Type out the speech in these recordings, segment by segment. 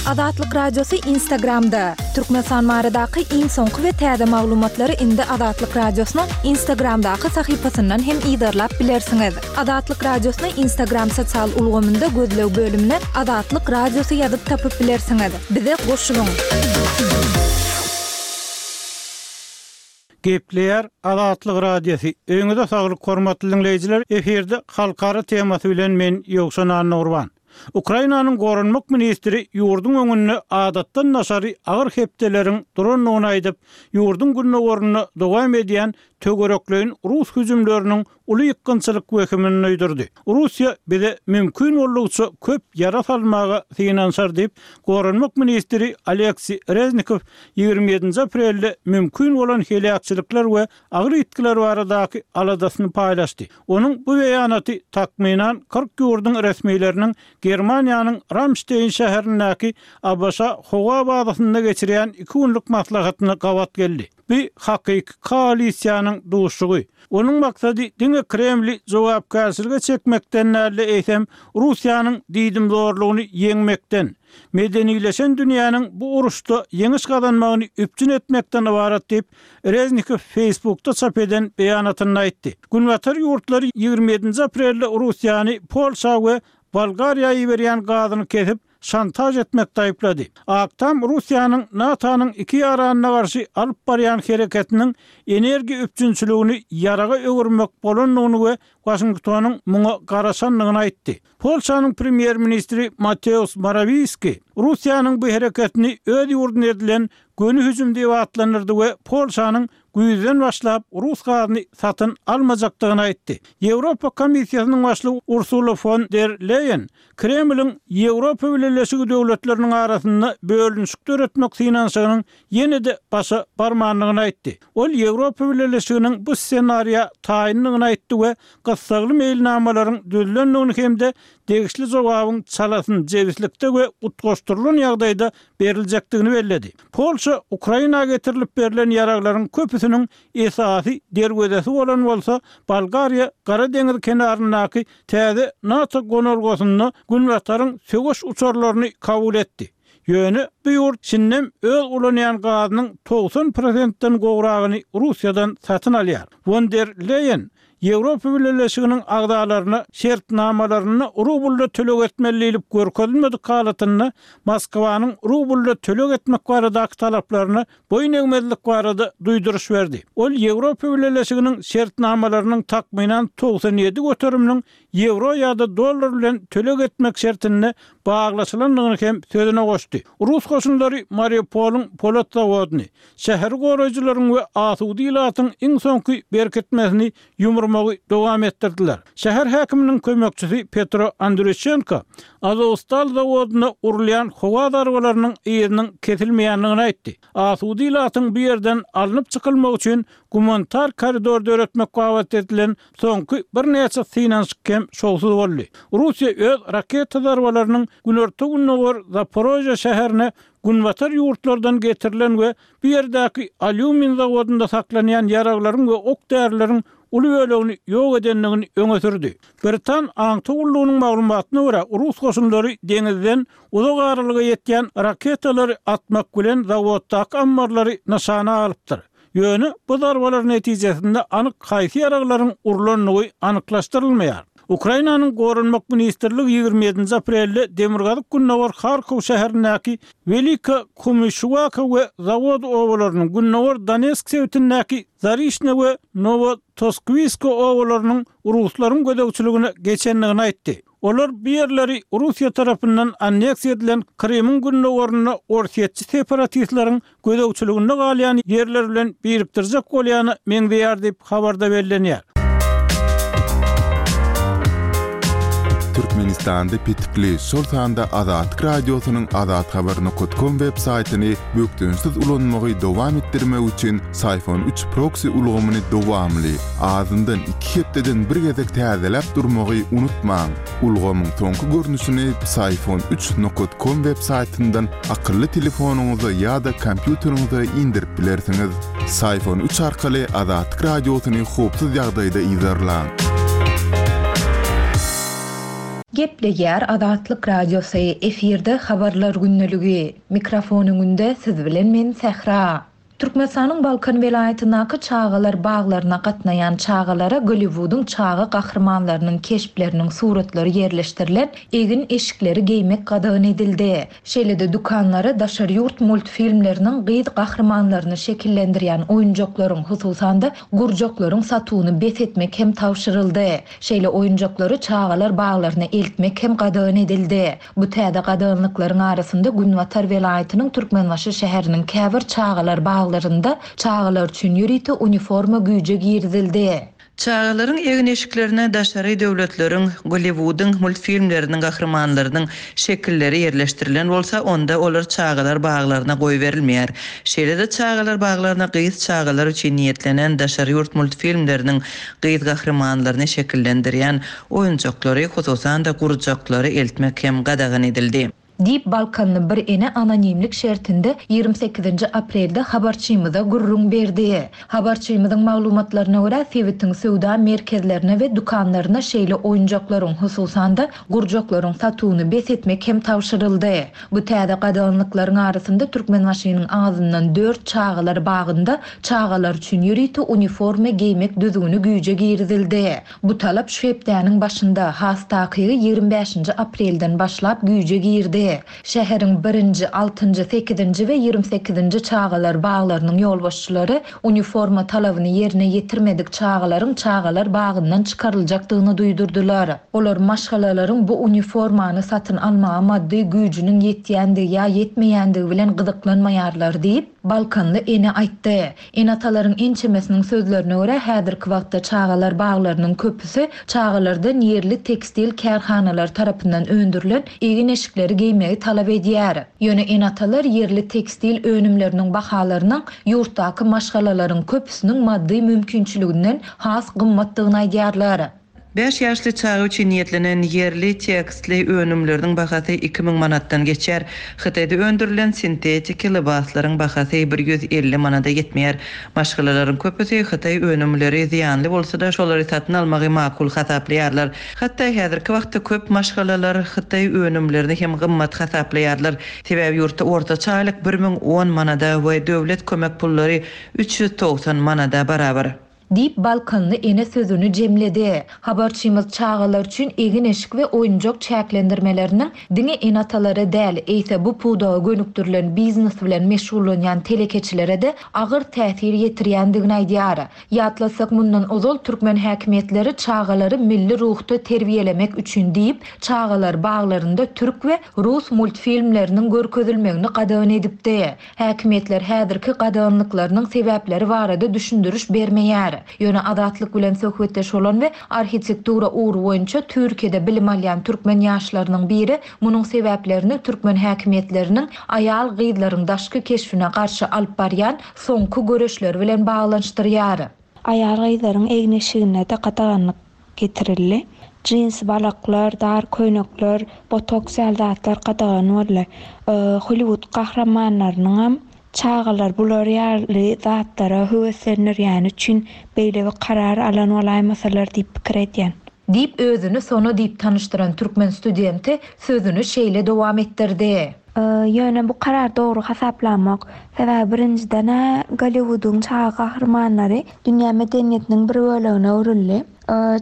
Azatlyk Radiosy Instagramda! Türkmenistan baradaky iň soňky we täze maglumatlary indi Azatlyk Radiosynyň Instagramdaky sahypasyndan hem yzarlap bilersiňiz. Azatlyk Radiosyny Instagram sosial ulgamynda gözleg bölümine Azatlyk Radiosy ýazyp tapyp bilersiňiz. Bize goşulyň! Gepleýär Azatlyk Radiosy. Öýüňize saglyk hormatly diňleýjiler, efirde halkara temasy bilen men Ýowşan Annagurban. Ukrainanyň goranmak ministri ýurduň öňünde adatdan daşary agyr hepdeleriň durandygyny aýdyp, ýurduň gündogarynda dowam edýän töwerekleýin rus hüjümleriniň uly ýykgynçylyk wehimini duýdurdy. Russiýa bize mümkin boldugyça köp ýara salmaga synanyşar diýip, goranmak ministri Oleksiý Reznikow 27-nji aprelde mümkin bolan heläkçilikler we agyr ýitgiler baradaky aladasyny paýlaşdy. Onuň bu beýanaty takmynan 40 ýurduň resmileriniň Germaniýanyň Ramşteýn şäherindäki ABŞ howa bazasynda geçirýän iki günlük maslahatyna gabat geldi. Bu hakyky koalisiýanyň duşuşygy. Onuň maksady diňe Kremli jogapkärçilige çekmekden däl-de, eýsem, Russiýanyň diýdimzorlugyny ýeňmekden, medenileşen dünýäniň bu uruşda ýeňiş gazanmagyny üpjün etmekden ybarat diýip, Reznikow Facebookda çap eden beýanatynda aýtdy. Günbatar ýurtlary 27-nji aprelde Russiýany Polşa we Bolgariýa iberýän gazyny kesip, şantaž etmekde aýyplady. Ak Tam Russiýanyň NATO-nyň iki ýaranyna garşy alyp barýan hereketiniň energiýa üpjünçiligini ýaraga öwürmek bolandygyny we Waşingtonyň muňa garaşandygyny aýtdy. Polşanyň premýer-ministri Mateusz Morawiýski Russiýanyň bu hereketini öz ýurduna edilen göni hüjüm diýip atlandyrdy we Polşanyň güýzden başlap rus gazyny satyn almajakdygyny aýtdy. Ýewropa Komissiýasynyň başlygy Ursula fon der Leýen Kremliň Ýewropa Bileleşigi döwletleriniň arasynda bölünişik döretmek synanyşygynyň ýene-de başa barmandygyny aýtdy. Ol Ýewropa Bileleşiginiň bu ssenariýa taýyndygyny aýtdy we gyssagly meýilnamalaryň düzülendigini hem-de degişli jogabyň çalasyn jebislikde we utgaşdyrylan ýagdaýda beriljekdigini belledi. Polşa Ukraina getirilip berlen ýaraglaryň köpüsiniň esasy derwezesi bolan bolsa, Bolgariýa Gara deňiz kenaryndaky täze NATO gonalgasynda Günbataryň söweş uçarlaryny kabul etdi. Ýöne bu ýurt şindem öz ulanýan gazynyň 90 prosentden gowragyny Russiýadan satyn alýar. Won der Leýen Ýewropa Bileleşiginiň agzalaryna şertnamalarynda rublda töleg etmeli diýlip görkezilmedik halatynda Moskwanyň rublda töleg etmek baradaky talaplaryna boýun egmezlik barada duýduryş berdi. Ol Ýewropa Bileleşiginiň şertnamalarynyň takmynan 97 göteriminiň ýewro ýa-da dollar bilen töleg etmek şertinde baglaşylandygyny hem sözüne goşdy. Rus goşunlary Mariupolyň polat zawodyny, şäheri goraýjylaryň we asuda ilatyň iň soňky berkitmesini ýumurmagy dowam etdirdiler. Şäher häkiminiň kömekçisi Petro Andrýuşenko Azowstal zawodyna urulýan howa zarbalarynyň yzynyň kesilmeýändigini aýtdy. Asuda ilatyň bu ýerden alnyp çykylmagy üçin gumanitar koridor döretmek babatda edilen soňky birnäçe synanyşyk hem şowsuz boldy. Russiýa öz raketa zarbalarynyň günorta-gündogar Zaporožýe şäherine günbatar ýurtlardan getirilen we bu ýerdäki alýumin zawodynda saklanýan ýaraglaryň we ok-därileriň uly bölegini ýok edendigini öňe sürdi. Britan aňtaw gullugynyň maglumatyna görä, rus goşunlary deňizden uzak aralyga ýetýän raketalary atmak bilen zawoddaky ammarlary nyşana alypdyr. Ýöne bu zarbalar netijesinde anyk haýsy ýaraglaryň urlandygy anyklaşdyrylmaýar. Ukrainanyň Goranmak ministrligi 27-nji aprelde demirgazyk-gündogar Harkow şäherindäki Welika Kumyşuwaka we Zawod obalarynyň, gündogar Donetsk sebitindäki Zarişne we Nowotoskwisko obalarynyň ruslaryň gözegçiligine geçendigini aýtdy. Olar bu ýerleri Russiýa tarapyndan anneksiýa edilen Krymyň gündogarynda orsýetçi separatistleriň gözegçiliginde galýan ýerler bilen birikdirjek bolýana meňzeýär diýip, habarda bellenýär. Türkmenistanda petikli, şol sanda Azatlyk Radiosynyň azathabar nokat kom web saýtyny bökdençsiz ulanmagy dowam etdirmek üçin Syfon üç proksi ulgamyny dowamly, azyndan iki hepdeden bir gezek täzeläp durmagy unutmaň. Ulgamyň soňky görnüşini Psiphon üç nokat kom web saýtyndan akylly telefonyňyza ýa-da kompýuteriňize indirip bilersiňiz. Psiphon üç arkaly Azatlyk Radiosyny howpsuz ýagdaýda yzarlaň. Gepleýär Azatlyk Radiosy, efirde Habarlar gündeligi. Mikrofon öňünde siz bilen men Sähra. Türkmenistanyň Balkan welaýatyndaky çagalar baglaryna gatnaýan çagalara Golliwudyň çaga gahrymanlarynyň keşpleriniň suratlary ýerleşdirilen egin-eşikleri geýmek gadagan edildi. Şeýle-de dükanlara daşary ýurt multfilmleriniň gyz gahrymanlaryny şekillendirýän oýunjaklaryň, hususan-da, gurjaklaryň satuwyny bes etmek hem tabşyryldy. Şeýle oýunjaklary çagalar baglaryna eltmek hem gadagan edildi. Bu täze gadaganlyklaryň arasynda günbatar welaýatynyň Türkmenbaşy şäheriniň käbir çagalar baglarynda çagalar üçin ýörite uniforma güýje girizildi. Çagalaryň egin-eşiklerine daşary döwletleriň, Golliwudyň multfilmleriniň gahrymanlarynyň şekilleri ýerleşdirilen bolsa, onda olar çagalar baglaryna goýberilmeýär. Şeýle-de çagalar baglaryna gyz çagalar üçin niýetlenen daşary ýurt multfilmleriniň gyz gahrymanlaryny şekillendirýän oýunjaklary, hususan-da, gurjaklary eltmek hem gadagan edildi. Diýip, balkanly bir ene anonimlik şertinde 28-nji aprelde habarçymyza gürrüň berdi. Habarçymyzyň maglumatlaryna görä, sebitiň söwda merkezlerine we dükanlaryna şeýle oýunjaklaryň, hususan-da, gurjaklaryň satuwyny bes etmek hem tabşyryldy. Bu täze gadaganlyklaryň arasynda Türkmenbaşynyň azyndan dört çagalar bagynda çagalar üçin ýörite uniforma geýmek düzgüni güýje girizildi. Bu talap şu hepdäniň başynda, has takygy 25-nji aprelden başlap güýje girdi. Şäheriň birinji, altynjy, sekizinji we 28-nji çagalar baglarynyň ýolbaşçylary uniforma talabyny ýerine ýetirmedik çagalaryň çagalar bagyndan çykaryljakdygyny duýdurdylar. Olar maşgalalaryň bu uniformany satyn almaga maddy güýjüniň ýetýändigi ýa ýetmeýändigi bilen gyzyklanmaýarlar diýip, balkanly ene aýtdy. Ene-atalaryň ençemesiniň sözlerine görä, häzirki wagtda çagalar baglarynyň köpüsi çagalardan ýerli tekstil kärhanalary tarapyndan öndürilen egin-eşikleri geýmegi talap edýär. Ýöne ene-atalar ýerli tekstil önümleriniň bahalarynyň ýurtdaky maşgalalaryň köpüsiniň maddy mümkinçiliginden has gymmatdygyny aýdýarlar. Bäş ýaşly çaga üçin niýetlenen ýerli tekstli önümleriniň bahasy 2000 manatdan geçýär. Hytaýda öndürilen sintetiki lybaslaryň bahasy 150 manada ýetmeýär. Maşgalalaryň köpüsi hytaý önümleri zyýanly bolsa-da, şolary satyn almagy makul hasaplaýarlar. Hatda häzirki wagtda köp maşgalalar hytaý önümlerini hem gymmat hasaplaýarlar. Sebäbi ýurtda ortaça aýlyk 1010 manada we döwlet kömek pullary 390 manada barabar. Diýip, balkanly ene sözüni jemledi. Habarçymyz çagalar üçin egin-eşik we oýunjak çäklendirmeleriniň diňe ene-atalara däl, eýse bu pudaga gönükdirilen biznes bilen meşgullanýan telekeçilere-de agyr täsir ýetirýändigini aýdýar. Ýatlatsak, mundan ozal türkmen häkimiýetleri çagalary milli ruhda terbiýelemek üçin diýip, çagalar baglarynda türk we rus multfilmleriniň görkezilmegini gadagan edipdi. Häkimiýetler häzirki gadaganlyklarynyň sebäpleri barada düşündiriş bermeýär. Ýöne Azatlyk bilen söhbetdeş bolan we arhitektura ugry boýunça Türkiýede bilim alýan türkmen ýaşlarynyň biri munuň sebäplerini türkmen häkimiýetleriniň aýal-gyzlaryň daşky keşbine garşy alyp barýan soňky göreşleri bilen baglanyşdyrýar. Aýal-gyzlaryň egin-eşigine-de gadaganlyk getirildi. Jinsi balaklar, dar köýnekler, botoks ýaly zatlar gadagan boldy. Hollywood gahrymanlarynyňam çagalar bular ýaly zatlara höweslendirýäni üçin beýle bir karar alan bolaýmasalar diýip pikir edýän. Diýip, özüni Sona diýip tanyşdyran türkmen studenti sözüni şeýle dowam etdirdi. Ýöne bu karar dogry hasaplamok. Sebäbi birinjiden-ä Golliwudyň çaga gahrymanlary dünýä medeniýetiniň bir bölegine öwrüldi.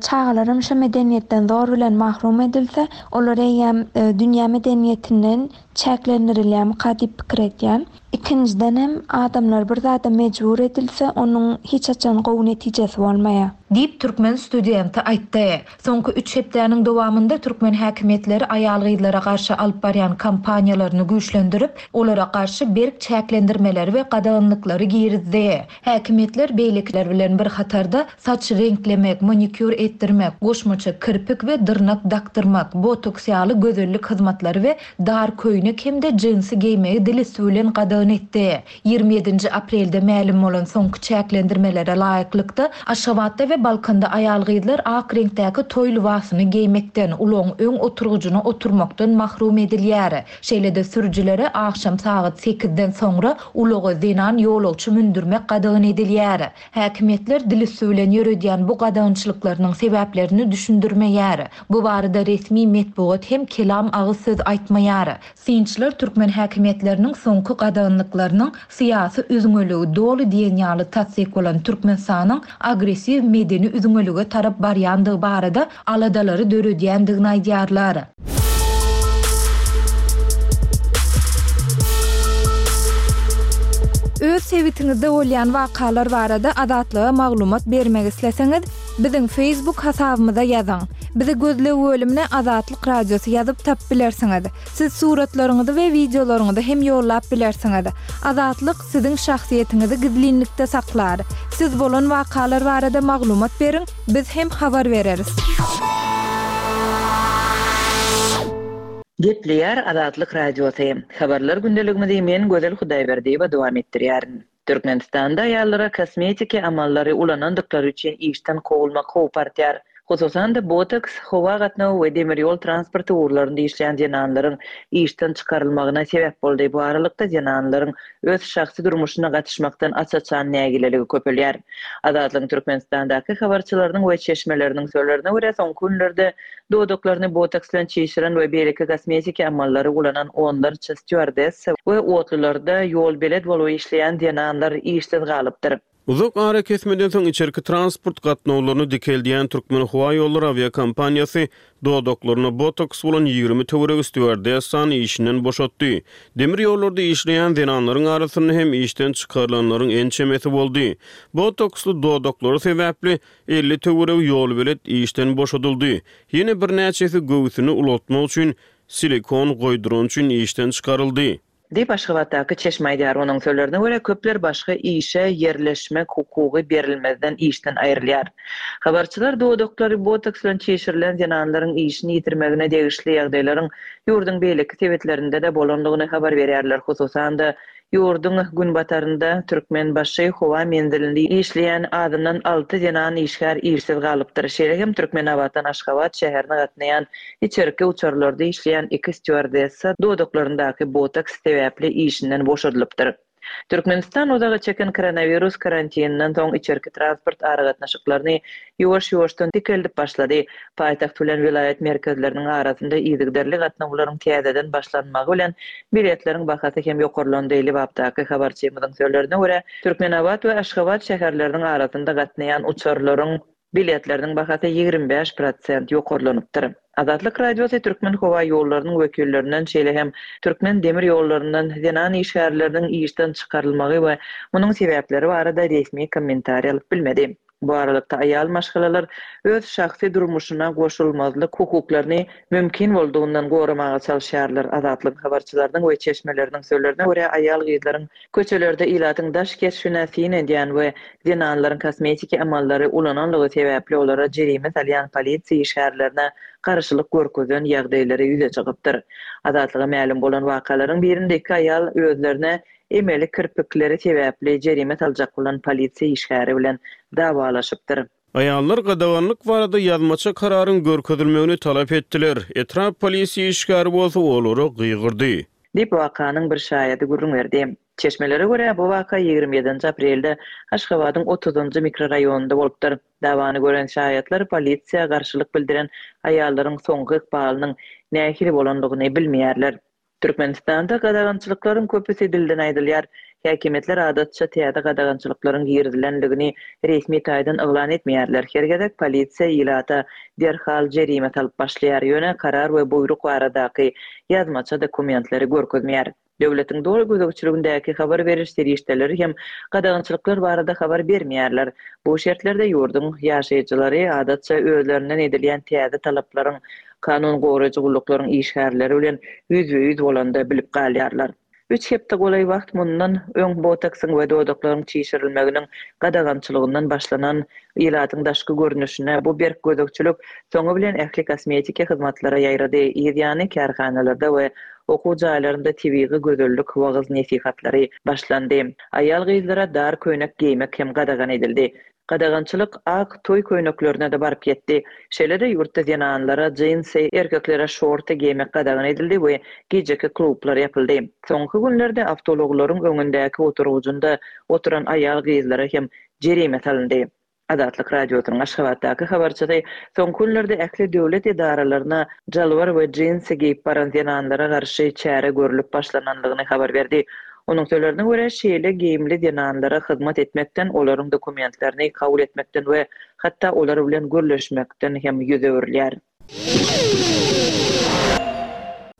Çagalaram şo medeniýetden zor bilen mahrum edilse, olar eýýäm dünýä medeniýetinden çäklendirilýärmika diýip pikir edýän. Ikinjidenem, adamlar bir zada mejbur edilse, onuň hiç haçan gowy netijesi bolmaýar. Diýip, türkmen studenti aýtdy. Soňky üç hepdäniň dowamynda türkmen häkimiýetleri aýal-gyzlara garşy alyp barýan kampaniýalaryny güýçlendirip, olara garşy berk çäklendirmeleri we gadaganlyklary girizdi. Häkimiýetler beýlekiler bilen bir hatarda saç reňklemek, manikýur etdirmek, goşmaça kirpik we dyrnak dakdyrmak, botoks ýaly gözellik hyzmatlary we dar köýnek hem-de jinsi geýmegi dil üsti bilen gadagan etdi. 27-nji aprelde mälim bolan soňky çäklendirmelere laýyklykda, Aşgabatda we. Şeýlelikde, Balkanda aýal-gyzlar ak reňkdäki toý lybasyny geýmekden, ulagyň öň oturgyjyna oturmakdan mahrum edilýär. Şeýle-de sürüjilere agşam sagat sekizden soňra ulaga zenan ýolagçy mündürmek gadagan edilýär. Häkimiýetler dil üsti bilen ýöredýän bu gadagançylyklarynyň sebäplerini düşündirmeýär. Bu barada resmi metbugat hem kelam agyz söz aýtmaýar. Synçylar türkmen häkimiýetleriniň soňky gadaganlyklarynyň syýasy üzňeligi doly diýen ýaly tassyk bolan Türkmenistanyň agressiw medeni üzňelige tarap barýandygy barada aladalary döredýändigini aýdýarlar. Öz sebitiňizde bolýan wakalar barada Azatlyga maglumat bermek isleseňiz, biziň Facebook hasabymyza ýazyň. Bizi gözleg bölümine Azatlyk Radiosy ýazyp tapyp bilersiňiz. Siz suratlaryňyzy we wideolaryňyzy hem ýollap bilersiňiz. Azatlyk siziň şahsyýetiňizi gizlinlikde saklar. Siz bolan wakalar barada maglumat beriň, biz hem habar bereris. Gepleýär Azatlyk Radiosy. Habarlar gündeligimizi men Gözel Hudaýberdiýewa dowam etdirýärin. Türkmenistanda aýallara kosmetiki amallary ulanandyklary üçin işden kowulmak howpy artýar. Hususan-da, botoks, howa gatnawy we demir ýol transporty ugurlarynda işleýän zenanlaryň işden çykarylmagyna sebäp boldy. Bu aralykda, zenanlaryň öz şahsy durmuşyna gatyşmakdan aç-açan nägileligi köpelýär. Azatlygyň Türkmenistandaky habarçylarynyň we çeşmeleriniň sözlerine görä, soňky günlerde Dodaklaryny botoks bilen çişiren we beýleki kosmetiki amallary ulanan onlarça stýuardessa we otlularda ýolbelet bolup işleýän zenanlar işsiz galypdyr. Uzak arakesmeden soň içerki transport gatnawlaryny dikeldýän Türkmenhowaýollary awiakompaniýasy dodaklarynda botoks bolan 20 töweregi stýuardessany işinden boşatdy. Demir ýollarda işleýän zenanlaryň arasynda hem işden çykarylanlaryň ençemesi boldy. Botoksly dodaklary sebäpli 50 töweregi ýolbelet işden boşadyldy. Ýene birnäçesi göwsüni ulaltmak üçin silikon goýdurany üçin işden çykaryldy. Diýip, Aşgabatdaky çeşme aýdýar. Onuň sözlerine görä, köpler başga işe ýerleşmek hukugy berilmezden işden aýrylýar. Habarçylar dodaklary botoks bilen çişirilen zenanlaryň işini ýitirmegine degişli ýagdaýlaryň ýurduň beýleki sebitlerinde-de bolandygyny habar berýärler, hususan-da, Ýurduň günbatarynda Türkmenbaşy howa menzilinde işleýän azyndan alty zenan işgär işsiz galypdyr. Şeýle hem Türkmenabatdan Aşgabat şäherine gatnaýan içerki uçarlarda işleýän iki stýuardessa dodaklaryndaky botoks sebäpli işinden boşadylypdyr. Türkmenistan uzaga çeken koronawirus karantininden soň içerki transport aragatnaşyklaryny ýuwaş-ýuwaşdan dikeldip başlady. Paýtagt bilen welaýat merkezleriniň arasynda yzygiderli gatnawlaryň täzeden başlanmagy bilen biletleriň bahasy hem ýokarlandy. Lebapdaky habarçymyzyň sözlerine görä, Türkmenabat we Aşgabat şäherleriniň arasynda gatnaýan uçarlaryň biletleriniň bahasy 25 prosent ýokarlanypdyr. Azatlyk Radiosy Türkmenhowaýollarynyň wekillerinden, şeýle hem Türkmen demir ýollaryndan zenan işgärleriniň işden çykarylmagy we munuň sebäpleri barada resmi kommentariý alyp bilmedi. Bu aralykda, aýal maşgalalar öz şahsy durmuşyna goşulmazlyk hukuklaryny mümkin boldugyndan goramaga çalyşýarlar. Azatlygyň habarçylarynyň we çeşmeleriniň sözlerine görä, aýal-gyzlaryň köçelerde ilatyň daş keşbine syn edýän we zenanlaryň kosmetiki amallary ulananlygy sebäpli olara jerime salýan polisiýa işgärlerine garşylyk görkezen ýagdaýlary ýüze çykypdyr. Azatlyga mälim bolan wakalaryň birinde iki aýal özlerine emeli kirpikleri sebäpli jerime saljak bolan polisiýa işgäri bilen dawalaşypdyr. Aýallar gadaganlyk barada ýazmaça kararyň görkezilmegini talap etdiler. Etrap polisiýa işgäri bolsa olara gygyrdy. Diýip, wakanyň bir şaýady gürrüň berdi. Çeşmelere görä, bu waka 27 nji aprelde Aşgabadyň otuzynjy mikroraýonynda bolupdyr. Dawany gören şaýatlar polisiýa garşylyk bildiren aýallaryň soňky ykbalynyň nähili bolandygyny bilmeýärler. Türkmenistanda gadagançylyklaryň köpüsi dilden aýdylýar. Häkimiýetler adatça täze gadagançylyklaryň girizilendigini resmi taýdan yglan etmeýärler. Her gezek polisiýa ilata derhal jerime salyp başlaýar, ýöne karar we buýruk baradaky ýazmaça dokumentleri görkezmeýär. Döwletiň doly gözegçiligindäki habar beriş serişdeleri hem gadagançylyklar barada habar bermeýärler. Bu şertlerde ýurduň ýaşaýjylary adatça özlerinden edilýän täze talaplaryň kanun goraýjy gulluklaryň işgärleri bilen ýüzbe-ýüz bolanda bilip galýarlar. Üç hepde golaý wagt mundan öň botoksyň we dodaklaryň çişirilmeginiň gadagançylygyndan başlanan ilatyň daşky görnüşine bu berk gözegçilik soňy bilen ähli kosmetiki hyzmatlara ýaýrady. Yz ýany kärhanalarda we okuw jaýlarynda tebigy gözellik wagyz-nesihatlary başlandy. Aýal-gyzlara dar köýnek geýmek hem gadagan edildi. Gadagançylyk ak toý köýneklerine-de baryp ýetdi. Şeýle-de ýurtda zenanlara jinsi, erkeklere şorty geýmek gadagan edildi we gijeki klublar ýapyldy. Soňky günlerde awtoulaglaryň öňündäki oturgyjynda oturan aýal-gyzlara hem jerime salyndy. Azatlyk Radiosynyň Aşgabatdaky habarçysy soňky günlerde ähli döwlet edaralaryna jalbar we jinsi geýip baran zenanlara garşy çäre görlüp başlanandygyny habar berdi. Onuň sözlerine görä, şeýle geýimli zenanlara hyzmat etmekden, olaryň dokumentlerini kabul etmekden we hatda olar bilen gürleşmekden hem ýüz öwrülýär.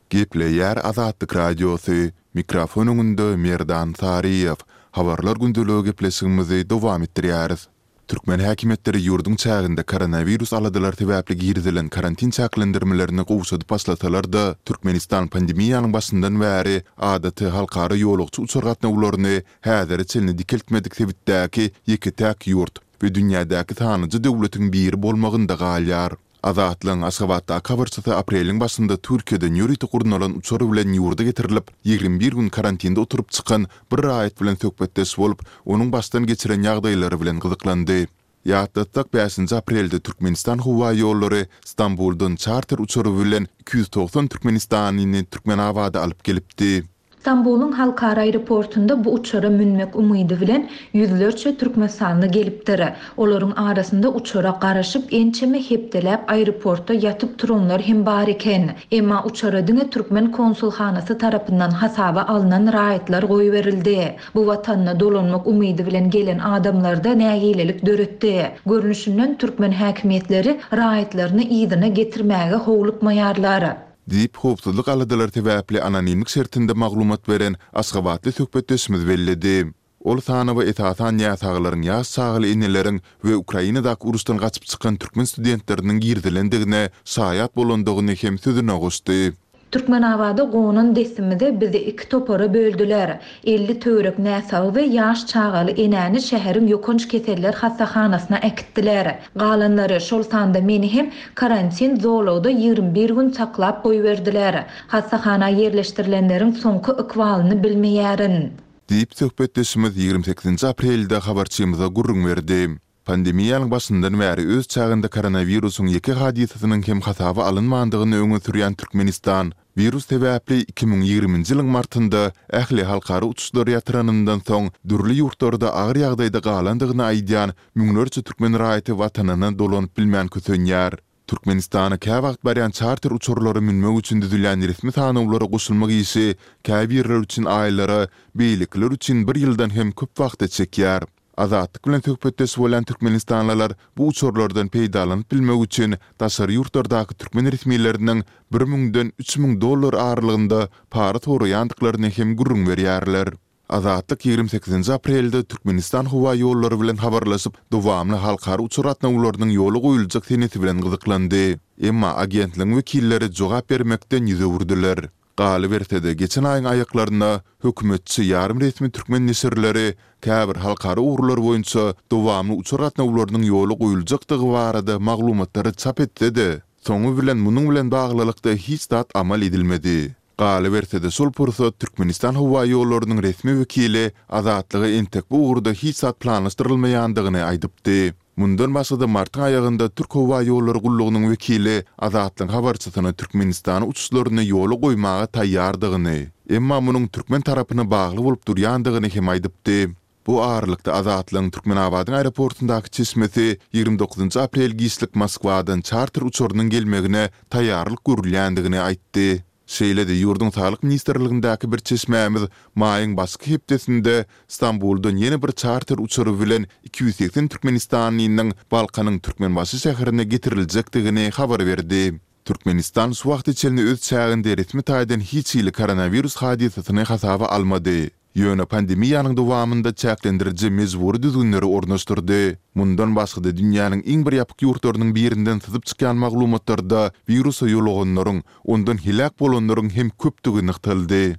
Gepleýär Azatlyk Radiosy, Mikrofon öňünde Merdan Saryýew. Habarlar gündeligi gepleşigimizi dowam etdirýäris. Türkmen häkimiýetleri ýurduň çäginde koronawirus aladalary sebäpli girizilen karantin çäklendirmelerini gowşadyp başlasalar-da, Türkmenistan pandemiýanyň başyndan bäri adaty halkara ýolagçy uçar gatnawlaryny häzire çenli dikeltmedik sebitdäki ýeke-täk ýurt we dünýädäki sanlyja döwletiň biri bolmagynda galýar. Azatlygyň Aşgabatdaky habarçysy apreliň başynda Türkiýeden ýörite gurnalan uçar bilen ýurda getirilip, 21 gün karantinde oturyp çykan bir raýat bilen söhbetdeş bolup, onuň başdan geçiren ýagdaýlary bilen gyzyklandy. Ýatlatsak, bäşinji aprelde Türkmenistan howaýollary Stambuldan çarter uçary bilen 290 türkmenistanlyny Türkmenabada alyp gelipdi. Stambulyň halkara aeroportunda bu uçara münmek umydy bilen ýüzlerçe türkmenistanly gelipdir. Olaryň arasynda uçara garaşyp, ençeme hepdeläp aeroportda ýatyp turanlar hem bar eken. Emma uçara diňe türkmen konsulhanasy tarapyndan hasaba alnan raýatlar goýberildi. Bu watanyna dolanmak umydy bilen gelen adamlarda nägilelik döretdi. Görnüşinden, türkmen häkimiýetleri raýatlaryny yzyna getirmäge howlukmaýarlar. Diýip, howpsuzlyk aladalary sebäpli anonimlik şertinde maglumat beren aşgabatly söhbetdeşimiz belledi. Ol sanawa esasan näsaglaryň, ýaş çagaly eneleriň we Ukrainadaky uruşdan gaçyp çykan türkmen studentleriniň girizilendigine şaýat bolandygyny hem sözüne goşdy. Türkmenabada gonan dessimize bizi iki topara böldüler. 50 töwerek näsagy we ýaş çagaly enäni şäheriň ýokanç keseller hassahanasyna äkitdiler. Galanlary, şol sanda meni hem karantin zolagda 21 gün saklap goýberdiler. Hassahana ýerleşdirilenleriň soňky ykbalyny bilmeýärin. Diýip, söhbetdeşimiz 28-nji aprelde habarçymyza gürrüň berdi. Pandemiýanyň başyndan bäri öz çäginde koronawirusyň ýeke hadysasynyň hem hasaba alynmandygyny öňe sürýän Türkmenistan, wirus sebäpli 2020-nji ýylyň martynda ähli halkara uçuşlary ýatyranyndan soň dürli ýurtlarda agyr ýagdaýda galandygyny aýdýan müňlerçe türkmen raýaty watanyna dolanyp bilmän kösenýär. Türkmenistana käwagt barýan çarter uçarlara münmek üçin düzülýän resmi sanawlara goşulmak işi käbirleri üçin aýlara, beýlekiler üçin bir ýyldan hem köp wagta çekýär. Azatlyk bilen söhbetdeş bolýan türkmenistanlylar bu uçarlardan peýdalanyp bilmek üçin daşary ýurtlardaky türkmen resmileriniň bir müňden 3000 dollar aralygynda para soraýandyklaryny hem gürrüň berýärler. Azatlyk 28-nji aprelde Türkmenistan howa ýollary bilen habarlaşyp, dowamly halkara uçar gatnawlarynyň ýola goýuljak senesi bilen gyzyklandy. Emma agentligiň wekilleri jogap bermekden ýüz öwürdiler. Galyberse-de, geçen aýyň aýaklarynda hökümetçi ýarym resmi türkmen neşirleri käbir halkara ugurlar boýunça dowamly uçar gatnawlarynyň ýola goýuljakdygy barada maglumatlary çap etse-de, soňy bilen munuň bilen baglylykda hiç zat amal edilmedi. Galyberse-de, şol pursat Türkmenistan howaýollarynyň resmi wekili Azatlyga entek bu ugurda hiç zat planlaşdyrylmaýandygyny aýdypdy. Mundan başga-da martyň aýagynda Türk howa ýollary gullugynyň wekili Azatlygyň habarçysyna Türkmenistana uçuşlaryny ýola goýmaga taýýardygyny, emma munuň türkmen tarapyna bagly bolup durýandygyny hem aýdypdy. Bu aralykda Azatlygyň Türkmenabadyň aeroportundaky çeşmesi 29 aprel giçlik Moskwadan çarter uçarynyň gelmegine taýýarlyk görülýändigini aýtdy. Şeýle-de ýurduň Saglyk ministrligindäki bir çeşmämiz maýyň başky hepdesinde Stambuldan ýene bir çarter uçary bilen 280 türkmenistanlynyň Balkanyň Türkmenbaşy şäherine getiriljekdigini habar berdi. Türkmenistan şu wagta çenli öz çäginde resmi taýdan hiç hili koronawirus hadysasyny hasaba almady. Ýöne pandemiýanyň dowamynda çäklendiriji mejbury düzgünleri ornaşdyrdy. Mundan başga-da dünýäniň iň bir ýapyk ýurtlarynyň birinden syzyp çykýan maglumatlarda wirusa ýoluganlaryň, ondan heläk bolanlaryň hem köpdügi nygtaldy.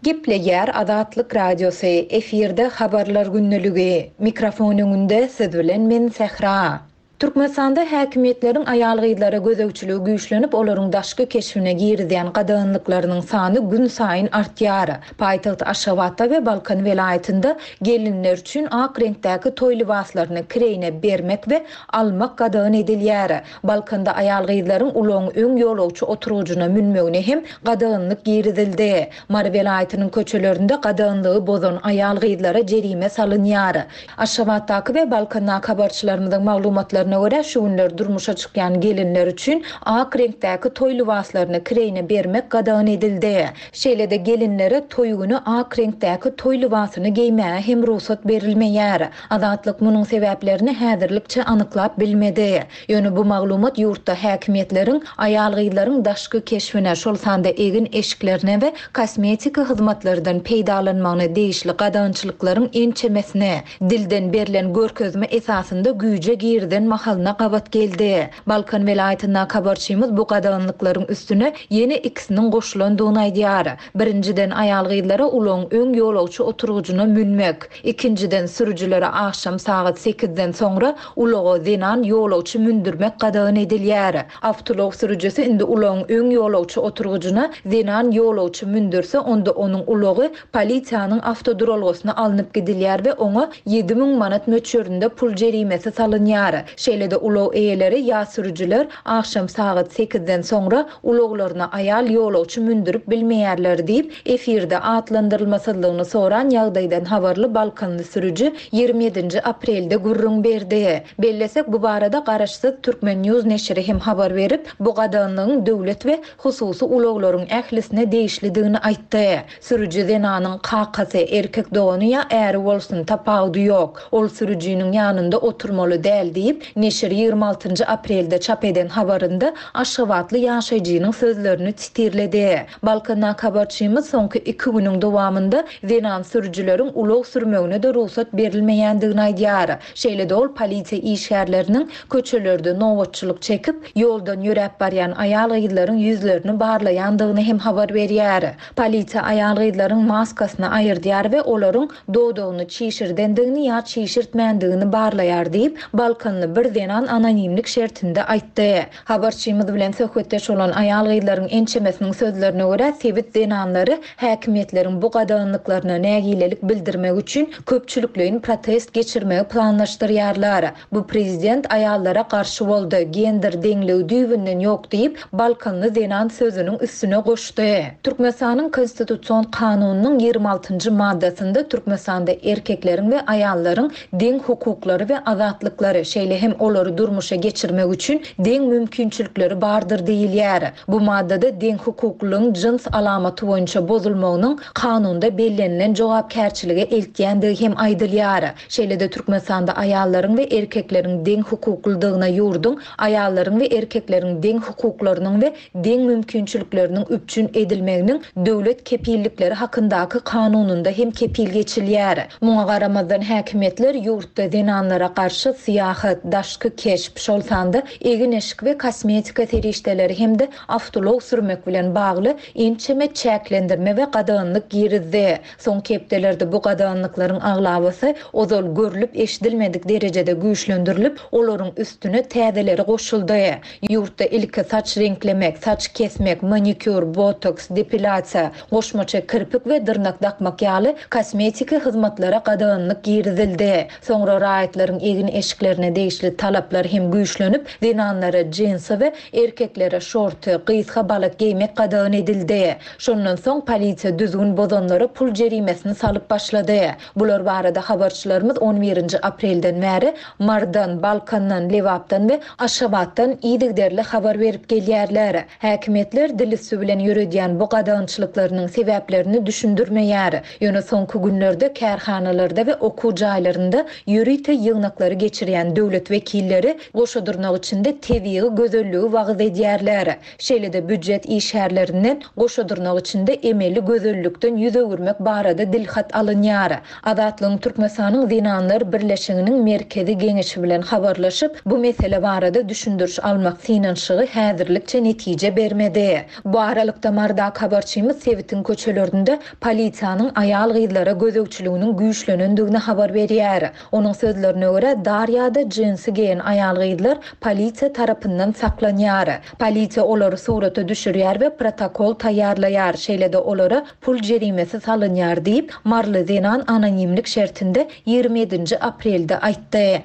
Gepleýär Azatlyk Radiosy, efirde Habarlar gündeligi. Mikrofon öňünde siz bilen men Sähra. Türkmenistanda häkimiýetleriň aýal-gyzlara gözegçiligi güýçlenip, olaryň daşky keşbine girizýän gadaganlyklarynyň sany günsaýyn artýar. Paýtagt Aşgabatda we Balkan welaýatynda gelinler üçin ak reňkdäki toý lybaslaryny kireýine bermek we almak gadagan edilýär. Balkanda aýal-gyzlaryň ulagyň öň ýolagçy oturgyjyna münmegine hem gadaganlyk girizildi. Mary welaýatynyň köçelerinde gadaganlygy bozan aýal-gyzlara jerime salynýar. Aşgabatdaky we Balkandaky habarçylarymyzyň maglumatlaryna görä, şu günler durmuşa çykýan gelinler üçin ak reňkdäki toý lybaslaryny kireýine bermek gadagan edildi. Şeýle-de gelinlere toý güni ak reňkdäki toý lybasyny geýmäge hem rugsat berilmeýär. Azatlyk munuň sebäplerini häzirlikçe anyklap bilmedi. Ýöne bu maglumat ýurtda häkimiýetleriň aýal-gyzlaryň daşky keşbine, şol sanda egin-eşiklerine we kosmetiki hyzmatlardan peýdalanmagyna degişli gadagançylyklaryň ençemesini, dilden berlen görkezme esasynda güýje girizen mahalyna gabat geldi. Balkan welaýatyndaky habarçymyz bu gadaganlyklaryň üstüne ýene ikisiniň goşulandygyny aýdýar. Birinjiden, aýal-gyzlara ulagyň öň ýolagçy oturgyjyna münmek, ikinjiden, sürüjilere agşam sagat sekizden soňra ulaga zenan ýolagçy mündürmek gadagan edilýär. Awtoulag sürüjisi indi ulagyň öň ýolagçy oturgyjyna zenan ýolagçy mündürse, onda onuň ulagy polisiýanyň awtoduralgasyna alnyp gidilýär we oňa 7000 manat möçberinde pul jerimesi salynýar. Şeýle-de ulag eýeleri ýa sürüjiler agşam sagat sekizden soňra ulaglaryna aýal ýolagçy mündürip bilmeýärler diýip, efirde atlandyrylmasyzlygyny soran ýagdaýdan habarly balkanly sürüji 27 ýedinji aprelde gürrüň berdi. Bellesek, bu barada garaşsyz Turkmen. News neşiri hem habar berip, bu gadaganlygyň döwlet we hususy ulaglaryň ählisine degişlidigini aýtdy. Sürüji zenanyň kakasy, erkek dogany ýa äri bolsun, tapawudy ýok. Ol sürüjiniň ýanynda oturmaly däl diýip, neşir 26 njy aprelde çap eden habarynda aşgabatly ýaşaýjynyň sözlerini sitirledi. Balkandaky habarçymyz soňky iki günüň dowamynda zenan sürüjileriň ulag sürmegine-de rugsat berilmeýändigini aýdýar. Şeýle-de ol polisiýa işgärleriniň köçelerde nobatçylyk çekip, ýoldan ýöräp barýan aýal-gyzlaryň ýüzlerini barlaýandygyny hem habar berýär. Polisiýa aýal-gyzlaryň maskasyny aýyrdýar we olaryň dodagyny çişirdendigini ýa çişirtmändigini barlaýar diýip, balkanly bir zenan anonimlik şertinde aýtdy. Habarçymyz bilen söhbetdeş bolan aýal-gyzlaryň ençemesiniň sözlerine görä, sebit zenanlary häkimiýetleriň bu gadaganlyklaryna nägilelik bildirmek üçin köpçülikleýin protest geçirmegi planlaşdyrýarlar. Bu prezident aýallara garşy boldy, gender deňligi düýbünden ýok diýip, balkanly zenan sözüniň üstüne goşdy. Türkmenistanyň Konstitusion kanunynyň 26 njy maddasynda Türkmenistanda erkekleriň we aýallaryň deň hukuklary we azatlyklary, şeýle hem olary durmuşa geçirmek üçin deň mümkinçilikleri bardyr diýilýär. Bu maddada deňhukuklylygyň jyns alamaty boýunça bozulmagynyň kanunda bellenilen jogapkärçilige eltýändigi hem aýdylýar. Şeýle-de Türkmenistanda aýallaryň we erkekleriň deň hukuklydygyna ýurduň Aýallaryň we erkekleriň deň hukuklarynyň we deň mümkinçilikleriniň üpjün edilmeginiň döwlet kepillikleri hakyndaky kanunynda hem kepil geçilýär. Muňa garamazdan häkimiýetler ýurtda zenanlara garşy syýahat, daşky keşp, şol sanda egin-eşik we kosmetika serişdeleri hem-de awtoulag sürmek bilen bagly ençeme çäklendirme we gadaganlyk girizdi. Soňky hepdelerde bu gadaganlyklaryň aglabasy ozal görlüp-eşidilmedik derejede güýçlendirilip, olaryň üstüne täzeleri goşuldy. Ýurtda ilki saç reňklemek, saç kesmek, manikýur, botoks, depilýasiýa, goşmaça kirpik we dyrnak dakmak ýaly kosmetiki hyzmatlara gadaganlyk girizildi. Soňra raýatlaryň egin-eşiklerine degişli talaplar hem güýçlenip, zenanlara jinsi we erkeklere şorty, gysga balak geýmek gadagan edildi. Şondan soň polisiýa düzgün bozanlara pul jerimesini salyp başlady. Bular barada habarçylarymyz on birinji aprelden bäri Marydan, Balkandan, Lebapdan we Aşgabatdan yzygiderli habar berip gelýärler. Häkimiýetler dil üsti bilen ýöredýän bu gadagançylyklarynyň sebäplerini düşündirmeýär. Ýöne soňky günlerde kärhanalarda we okuw jaýlarynda ýörite ýygnaklary geçirýän döwlet wekilleri goşa dyrnak içinde tebigy gözelligi wagyz edýärler. Şeýle-de býujet işgärlerinden goşa dyrnak içinde emeli gözellikden ýüz öwürmek barada dilhat alynýar. Azatlygyň Türkmenistanyň Zenanlar birleşiginiň Merkezi Geňeşi bilen habarlaşyp, bu mesele barada düşündiriş almak synanyşygy häzirlikçe netije bermedi. Bu aralykda, Marydaky habarçymyz sebitiň köçelerinde polisiýanyň aýal-gyzlara gözegçiliginiň güýçlenendigini habar berýär. Onuň sözlerine görä, dar ýa-da jinsi. lybasy geýen aýal-gyzlar polisiýa tarapyndan saklanýar. Polisiýa olary surata düşürýär we protokol taýýarlaýar, şeýle-de olara pul jerimesi salynýar diýip, maryly zenan anonimlik şertinde 27-nji aprelde aýtdy.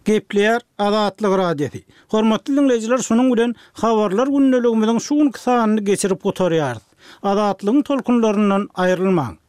Gepleýär Azatlyk Radiosy. Hormatly diňleýjiler şunuň bilen Habarlar gündeligimiziň şu günki sanyny geçirip gutarýarys. Azatlygyň tolkunlaryndan aýrylmaň.